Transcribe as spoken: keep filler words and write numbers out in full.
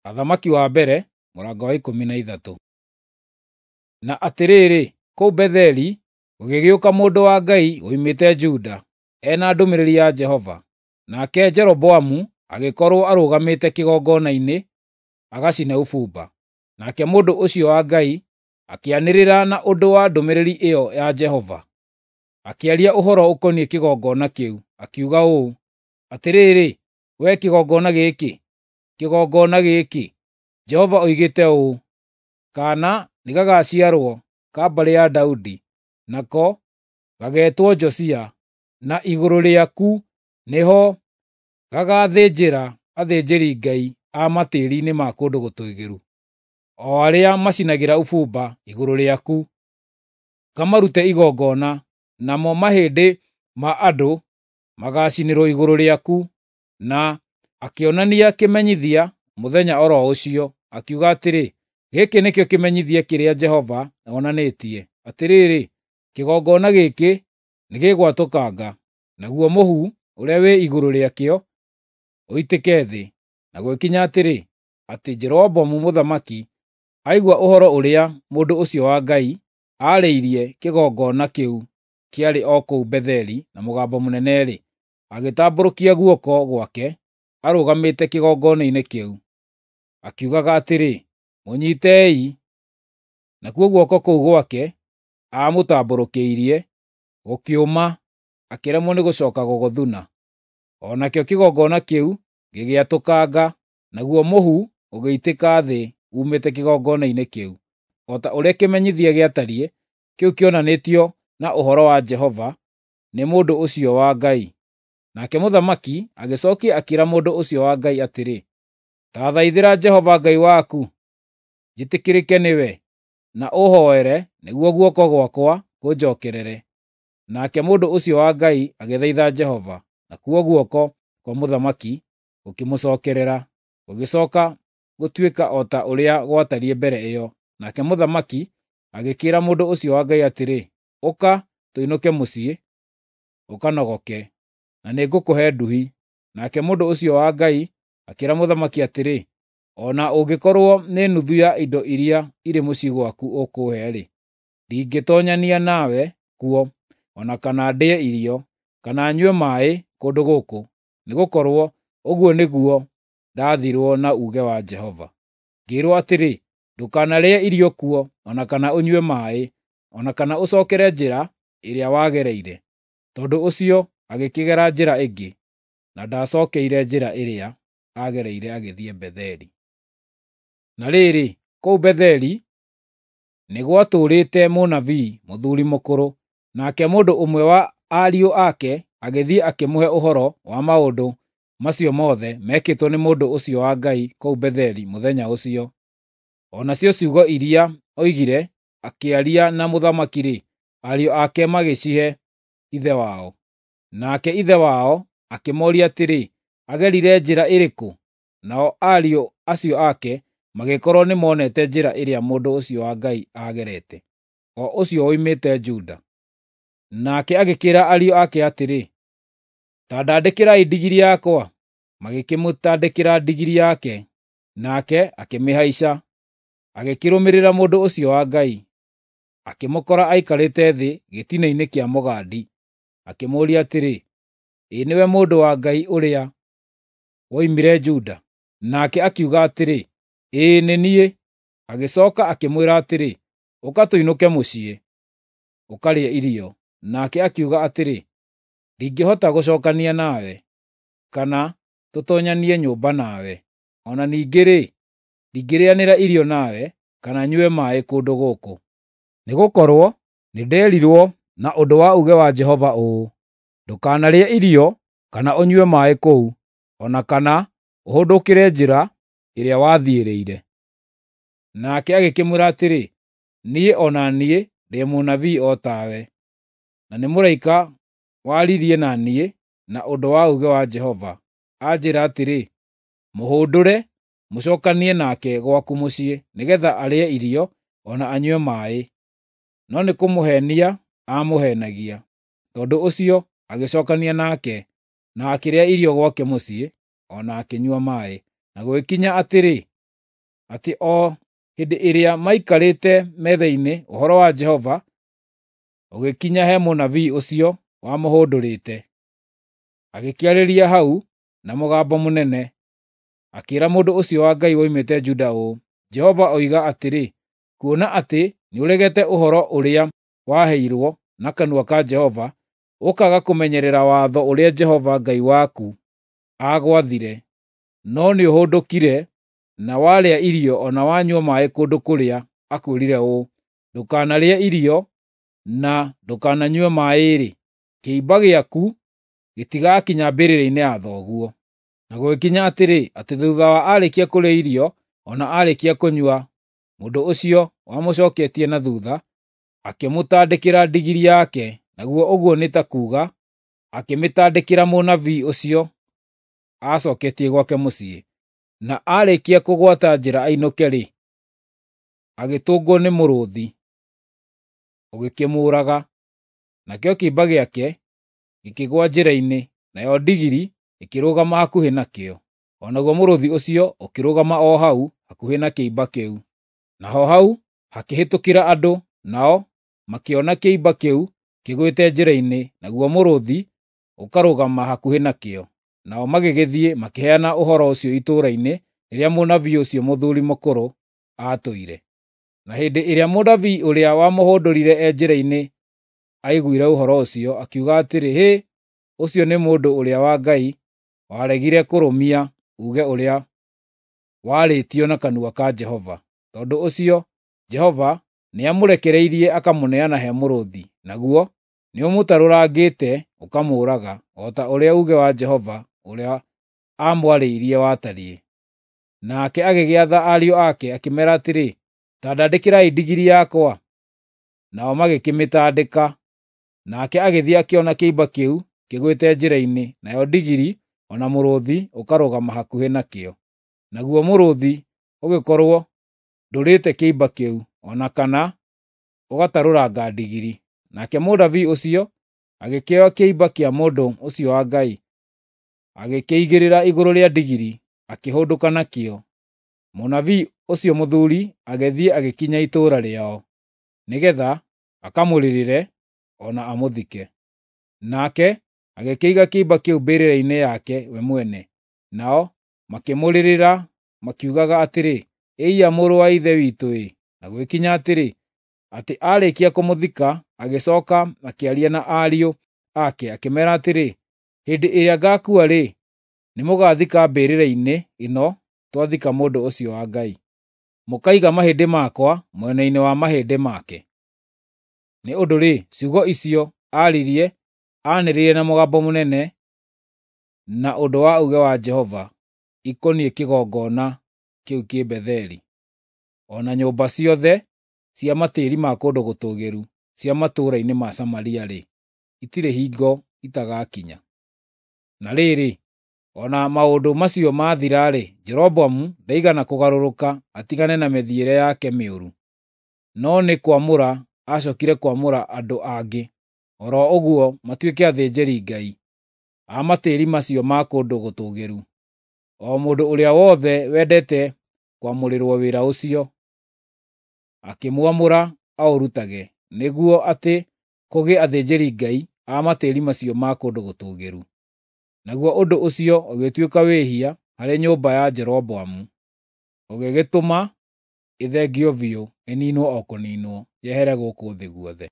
Athamaki wa mbere mũrango wa ikũmi na ithatũ. Na atĩrĩrĩ, kũu Betheli gũgĩgĩũka mũndũ wa Ngai woimĩte Juda, e na ndũmĩrĩri ya Jehova. Nake Jeroboamu agĩkorwo arũgamĩte kĩgongona-inĩ agacine ũbumba. Nake mũndũ ũcio wa Ngai akĩanĩrĩra na ũndũ wa ndũmĩrĩri ĩyo ya Jehova, akĩaria ũhoro ũkoniĩ kĩgongona kĩu, akiuga ũũ, “Atĩrĩrĩ, wee kĩgongona gĩkĩ, kĩgongona gĩkĩ! Jehova oigĩte ũũ, ‘Kaana nĩgagaciarwo ka mbarĩ ya Daudi, nako gageetwo Josia, na igũrũ rĩaku nĩho gagaathĩnjĩra athĩnjĩri-ngai a matĩĩri-inĩ ma kũndũ gũtũũgĩru, o arĩa macinagĩra ũbumba igũrũ rĩaku, kamarute igongona, namo mahĩndĩ ma andũ magaacinĩrwo igũrũ rĩaku.’ ” Na akĩonania kĩmenyithia mũthenya o ro ũcio, akiuga atĩrĩ, “Gĩkĩ nĩkĩo kĩmenyithia kĩrĩa Jehova onanĩtie: Atĩrĩrĩ, kĩgongona gĩkĩ nĩgĩgwatũkanga, naguo mũhu ũrĩa wĩ igũrũ rĩakĩo ũitĩke thĩ.” Na gũgĩkinya atĩrĩ, atĩ Jeroboamu mũthamaki aigua ũhoro ũrĩa mũndũ ũcio wa Ngai aarĩirie kĩgongona kĩu kĩarĩ o kũu Betheli na mũgambo mũnene-rĩ, agĩtambũrũkia guoko gwake arũgamĩte kĩgongona-inĩ kĩu, akiugaga atĩrĩ, “Mũnyiitei!” Nakuo guoko kũu gwake aamũtambũrũkĩirie gũkĩũma, akĩremwo nĩ gũcooka gũgũthuna. O nakĩo kĩgongona kĩu gĩgĩatũkanga, naguo mũhu ũgĩitĩka thĩ uumĩte kĩgongona-inĩ kĩu, o ta ũrĩa kĩmenyithia gĩatariĩ kĩu kĩonanĩtio na ũhoro wa Jehova nĩ mũndũ ũcio wa Ngai. Nake mũthamaki agĩcookia akĩĩra mũndũ ũcio wa Ngai atĩrĩ, “Ta thaithĩra Jehova Ngai waku njĩtĩkĩrĩke nĩwe, na ũhooere nĩguo guoko gwakwa kũnjookerere.” Nake mũndũ ũcio wa Ngai agĩthaitha Jehova, nakuo guoko kwa mũthamaki gũkĩmũcookerera, gũgĩcooka gũtuĩka o ta ũrĩa gwatariĩ mbere ĩyo. Nake mũthamaki agĩkĩĩra mũndũ ũcio wa Ngai atĩrĩ, “Ũka, tũinũke mũciĩ ũkanogoke, na nĩngũkũhe nduhi.” Nake mũndũ ũcio wa Ngai akĩĩra mũthamaki atĩrĩ, “O na ũngĩkorwo nĩ nuthu ya indo iria irĩ mũciĩ gwaku ũkũũhe-rĩ, ndingĩtoonyania nawe kuo, o na kana ndĩe irio, kana nyue maaĩ kũndũ gũkũ, nĩgũkorwo ũguo nĩguo ndaathirwo na uuge wa Jehova, ngĩĩrwo atĩrĩ, ‘Ndũkanarĩe irio kuo, o na kana ũnyue maaĩ, o na kana ũcookere njĩra ĩrĩa wagereire.’ ” Tondũ ũcio agĩkĩgera njĩra ĩngĩ, na ndaacookeire njĩra ĩrĩa aagereire agĩthiĩ Betheli. Na rĩrĩ, kũu Betheli nĩ gwatũũrĩte mũnabii, mũthuuri mũkũrũ, nake mũndũ ũmwe wa ariũ ake agĩthiĩ akĩmũhe ũhoro wa maũndũ macio mothe mekĩtwo nĩ mũndũ ũcio wa Ngai kũu Betheli mũthenya ũcio. O nacio ciugo iria oigire akĩaria na mũthamaki-rĩ, ariũ ake magĩcihe ithe wao. Nake ithe wao akĩmooria atĩrĩ, “Agerire njĩra ĩrĩkũ?” Nao ariũ acio ake magĩkorwo nĩmonete njĩra ĩrĩa mũndũ ũcio wa Ngai aagerete, o ũcio woimĩte Juda. Nake agĩkĩĩra ariũ ake atĩrĩ, “Ta ndandĩkĩrai ndigiri yakwa.” Magĩkĩmũtandĩkĩra ndigiri yake, nake akĩmĩhaica, agĩkĩrũmĩrĩra mũndũ ũcio wa Ngai. Akĩmũkora aikarĩte thĩ gĩtina-inĩ kĩa mũgandi, akĩmũũria atĩrĩ, “Ĩ nĩwe mũndũ wa Ngai ũrĩa woimire Juda?” Nake akiuga atĩrĩ, “Ĩĩ nĩ niĩ.” Agĩcooka akĩmwĩra atĩrĩ, “Ũka tũinũke mũciĩ, ũkarĩe irio.” Nake akiuga atĩrĩ, “Ndingĩhota gũcookania nawe, kana tũtoonyanie nyũmba nawe. O na ningĩ-rĩ, ndingĩrĩanĩra irio nawe, kana nyue maaĩ kũndũ gũkũ. Nĩgũkorwo nĩnderirwo na ũndũ wa uuge wa Jehova ũũ: ‘Ndũkanarĩe irio kana ũnyue maaĩ kũu, o na kana ũhũndũkĩre njĩra ĩrĩa wathiĩrĩire.’ ” Nake agĩkĩmwĩra atĩrĩ, “Niĩ o na niĩ ndĩ mũnabii o tawe, na nĩ mũraika waririe na niĩ na ũndũ wa uuge wa Jehova, anjĩĩra atĩrĩ, ‘Mũhũndũre, mũcookanie nake gwaku mũciĩ, nĩgeetha arĩe irio o na anyue maaĩ.’ No nĩkũmũheenia aamũheenagia.” Tondũ ũcio agĩcookania nake, na akĩrĩa irio gwake mũciĩ, o na akĩnyua maaĩ. Na gũgĩkinya atĩrĩ, atĩ o hĩndĩ ĩrĩa maikarĩte metha-inĩ ũhoro wa Jehova ũgĩkinya he mũnabii ũcio wamũhũndũrĩte. Agĩkĩarĩria hau na mũgambo mũnene, akĩĩra mũndũ ũcio wa Ngai woimĩte Juda ũũ, Jehova oiga atĩrĩ, kuona atĩ nĩũregete ũhoro ũrĩa waheirwo na kanua ka Jehova, ũkaaga kũmenyerera watho ũrĩa Jehova Ngai waku aagwathire, no nĩũhũndũkire na warĩa irio o na wanyua maaĩ kũndũ kũrĩa akwĩrire ũũ, ndũkanarĩe irio na ndũkananyue maaĩ-rĩ, kĩimba gĩaku gĩtigakinya mbĩrĩra-inĩ ya thoguo. Na gũgĩkinya atĩrĩ, atĩ thuutha wa aarĩkia kũrĩa irio o na aarĩkia kũnyua, mũndũ ũcio wamũcooketie na thuutha akĩmũtandĩkĩra ndigiri yake, naguo ũguo nĩ ta kuuga akĩmĩtandĩkĩra mũnabii ũcio aacooketie gwake mũciĩ. Na aarĩkia kũgwata njĩra ainũke-rĩ, agĩtũngwo nĩ mũrũũthi, ũgĩkĩmũũraga. Nakĩo kĩimba gĩake gĩkĩgũa njĩra-inĩ, nayo ndigiri ĩkĩrũgama hakuhĩ nakĩo. O naguo mũrũũthi ũcio ũkĩrũgama o hau hakuhĩ na kĩimba kĩu. Naho hau hakĩhĩtũkĩra andũ, nao makĩona kĩimba kĩu kĩgũĩte njĩra-inĩ, naguo mũrũũthi ũkarũgama hakuhĩ nakĩo. Nao magĩgĩthiĩ makĩheana ũhoro ũcio itũũra-inĩ rĩrĩa mũnabii ũcio mũthuuri mũkũrũ aatũire. Na hĩndĩ ĩrĩa mũnabii ũrĩa wamũhũndũrire e njĩra-inĩ aiguire ũhoro ũcio, akiuga atĩrĩ, “Hĩ, ũcio nĩ mũndũ ũrĩa wa Ngai waregire kũrũmia uuge ũrĩa warĩtio na kanua ka Jehova. Tondũ ũcio Jehova nĩamũrekereirie akamũneana he mũrũũthi, naguo nĩũmũtarũrangĩte ũkamũũraga, o ta ũrĩa uuge wa Jehova ũrĩa aamwarĩirie watariĩ.” Nake agĩgĩatha ariũ ake akĩmeera atĩrĩ, “Ta ndandĩkĩrai ndigiri yakwa.” Nao magĩkĩmĩtandĩka. Nake agĩthiĩ akĩona kĩimba kĩu kĩgwĩte njĩra-inĩ, nayo ndigiri o na mũrũũthi ũkarũgama hakuhĩ nakĩo. Naguo mũrũũthi ũgĩkorwo ndũrĩte kĩimba kĩu, o na kana ũgatarũranga ndigiri. Nake mũnabii ũcio agĩkĩoya kĩimba kĩa mũndũ ũcio wa Ngai, agĩkĩigĩrĩra igũrũ rĩa ndigiri, akĩhũndũka nakĩo. Mũnabii ũcio mũthuuri agĩthiĩ agĩkinya itũũra rĩao, nĩgeetha akamũrĩrĩre o na amũthike. Nake agĩkĩiga kĩimba kĩu mbĩrĩra-inĩ yake we mwene. Nao makĩmũrĩrĩra makiugaga atĩrĩ, “Ĩiya mũrũ wa ithe witũ-ĩ!” Na gũgĩkinya atĩrĩ, atĩ aarĩkia kũmũthika, agĩcooka akĩaria na ariũ ake akĩmeera atĩrĩ, “Hĩndĩ ĩrĩa ngaakua-rĩ, nĩmũgathika mbĩrĩra-inĩ ĩno twathika mũndũ ũcio wa Ngai. Mũkaiga mahĩndĩ makwa mwena-inĩ wa mahĩndĩ make.” Nĩ ũndũ-rĩ, ciugo icio aaririe aanĩrĩire na mũgambo mũnene na ũndũ wa uuge wa Jehova ikoniĩ kĩgongona kĩu kĩ Betheli, o na nyũmba ciothe cia matĩĩri ma kũndũ gũtũũgĩru cia matũũra-inĩ ma Samaria-rĩ, itirĩ hingo itagakinya. Na rĩrĩ, o na maũndũ macio maathira-rĩ, Jeroboamu ndaigana kũgarũrũka atigane na mĩthiĩre yake mĩũru, no nĩ kwamũra acookire kwamũra andũ angĩ, o ro ũguo matuĩke athĩnjĩri-ngai a matĩĩri macio ma kũndũ gũtũũgĩru, o mũndũ ũrĩa wothe wendete kwamũrĩrwo wĩra ũcio, akĩmwamũra aũrutage, nĩguo atĩ kũgĩe athĩnjĩri-ngai a matĩĩri macio ma kũndũ gũtũũgĩru. Naguo ũndũ ũcio ũgĩtuĩka wĩhia harĩ nyũmba ya Jeroboamu, ũgĩgĩtũma ĩthengio biũ, ĩniinwo o kũniinwo, yehere gũkũ thĩ guothe.